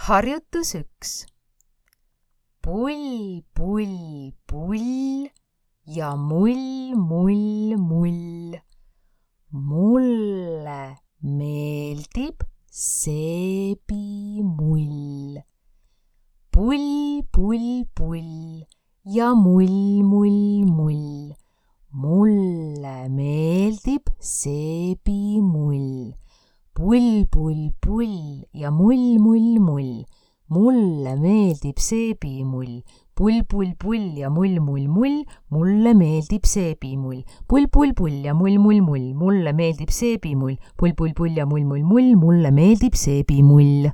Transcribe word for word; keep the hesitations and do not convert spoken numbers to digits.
Harjutus üks. Pull, pull, pull ja mull, mull, mull. Mulle meeldib seebimull. Pull, pull, pull ja mull, mull, mull. Mulle meeldib seebimull. Pull, pull, pull ja mull, mull, mull. Mulle meeldib seebimull. Pull, pull, pull ja mull, mull, mull. Mulle meeldib seebimull. Pull, pull, pull ja mull, mull, mull. Mulle meeldib seebimull. Pull, pull, pull ja mull, mull, mull. Mulle meeldib seebimull.